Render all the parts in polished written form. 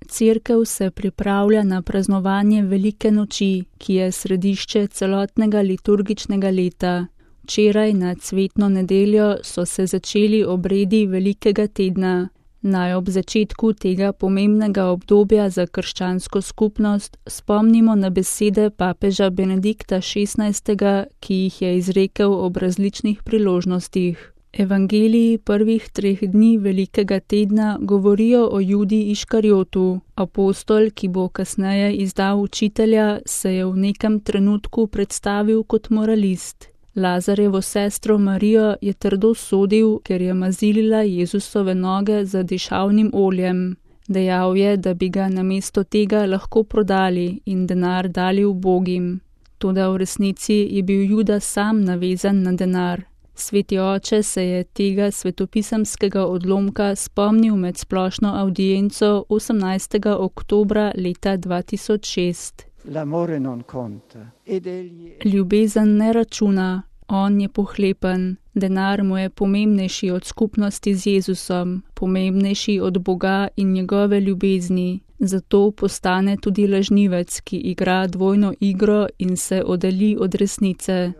Cerkev se pripravlja na praznovanje Velike noči, ki je središče celotnega liturgičnega leta. Včeraj na cvetno nedeljo so se začeli obredi Velikega tedna. Naj ob začetku tega pomembnega obdobja za krščansko skupnost spomnimo na besede papeža Benedikta XVI., ki jih je izrekel ob različnih priložnostih. Evangeliji prvih 3 dni Velikega tedna govorijo o Judi Iškarjotu. Apostol, ki bo kasneje izdal učitelja, se je v nekem trenutku predstavil kot moralist. Lazarevo sestro Marijo je trdo sodil, ker je mazilila Jezusove noge z dišavnim oljem. Dejal je, da bi ga namesto tega lahko prodali in denar dali ubogim. Toda v resnici je bil Juda sam navezan na denar. Sveti oče se je tega svetopisemskega odlomka spomnil med splošno avdienco 18. oktobra leta 2006. Ljubezen ne računa, on je pohlepen, denar mu je pomembnejši od skupnosti z Jezusom, pomembnejši od Boga in njegove ljubezni. Zato postane tudi lažnivec, ki igra dvojno igro in se oddalji od resnice.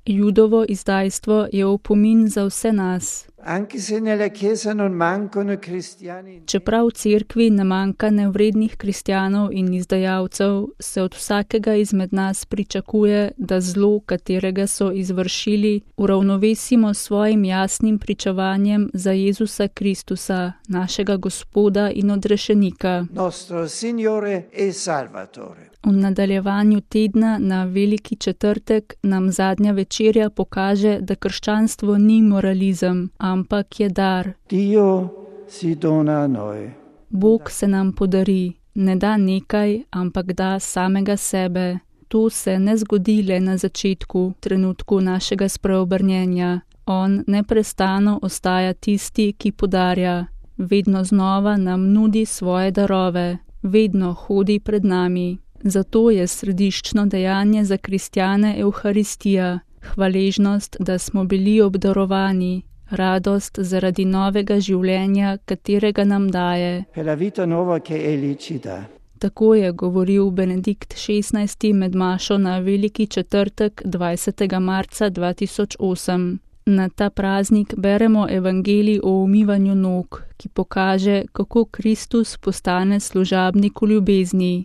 Judovo izdajstvo je opomin za vse nas. Čeprav v cerkvi ne manjka nevrednih kristjanov in izdajalcev, se od vsakega izmed nas pričakuje, da zlo, katerega so izvršili, uravnovesimo s svojim jasnim pričevanjem za Jezusa Kristusa, našega Gospoda in odrešenika. V nadaljevanju tedna na Veliki četrtek nam zadnja večerja pokaže, da krščanstvo ni moralizem, ampak je dar. Bog se nam podari, ne da nekaj, ampak da samega sebe. To se ne zgodi le na začetku, trenutku našega spreobrnjenja. On neprestano ostaja tisti, ki podarja. Vedno znova nam nudi svoje darove. Vedno hodi pred nami. Zato je središčno dejanje za kristjane Evharistija, hvaležnost, da smo bili obdarovani, radost zaradi novega življenja, katerega nam daje. Tako je govoril Benedikt XVI. Med mašo na Veliki četrtek 20. marca 2008. Na ta praznik beremo evangelij o umivanju nog, ki pokaže, kako Kristus postane služabnik v ljubezni.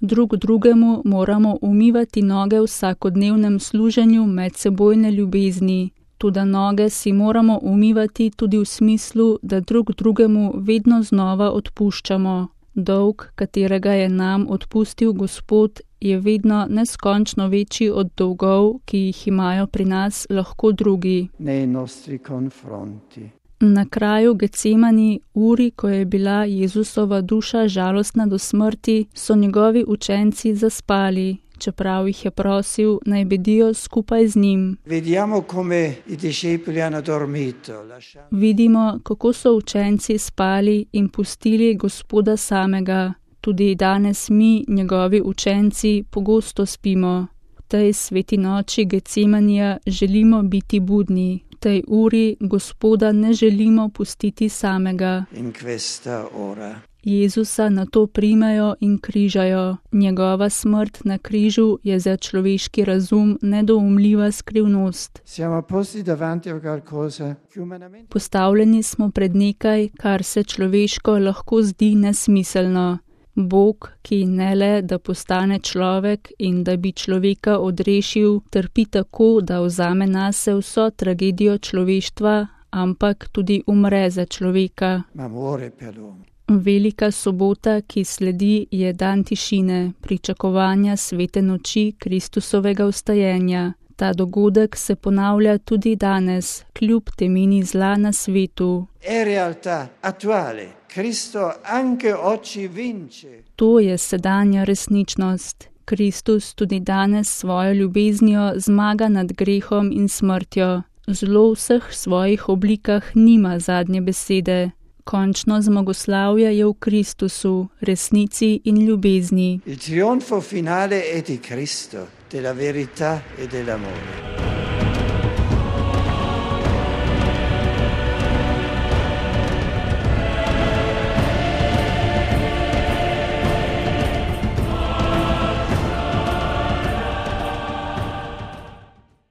Drug drugemu moramo umivati noge v vsakodnevnem služenju medsebojne ljubezni. Toda noge si moramo umivati tudi v smislu, da drug drugemu vedno znova odpuščamo. Dolg, katerega je nam odpustil Gospod, je vedno neskončno večji od dolgov, ki jih imajo pri nas lahko drugi. Na kraju Getsemani, uri, ko je bila Jezusova duša žalostna do smrti, so njegovi učenci zaspali, čeprav jih je prosil, naj bedijo skupaj z njim. Vidimo, kako so učenci spali in pustili Gospoda samega. Tudi danes mi, njegovi učenci, pogosto spimo. V tej sveti noči Getsemanija želimo biti budni. V tej uri Gospoda ne želimo pustiti samega. Jezusa nato primejo in križajo. Njegova smrt na križu je za človeški razum nedoumljiva skrivnost. Postavljeni smo pred nekaj, kar se človeško lahko zdi nesmiselno. Bog, ki ne le, da postane človek in da bi človeka odrešil, trpi tako, da vzame nase vso tragedijo človeštva, ampak tudi umre za človeka. Velika sobota, ki sledi, je dan tišine, pričakovanja svete noči Kristusovega vstajenja. Ta dogodek se ponavlja tudi danes, kljub temini zla na svetu. To je sedanja resničnost. Kristus tudi danes svojo ljubeznijo zmaga nad grehom in smrtjo. Zlo v vseh svojih oblikah nima zadnje besede. Končno zmagoslavje je v Kristusu, resnici in ljubezni. Il trionfo finale è di Cristo, della verità e dell'amore.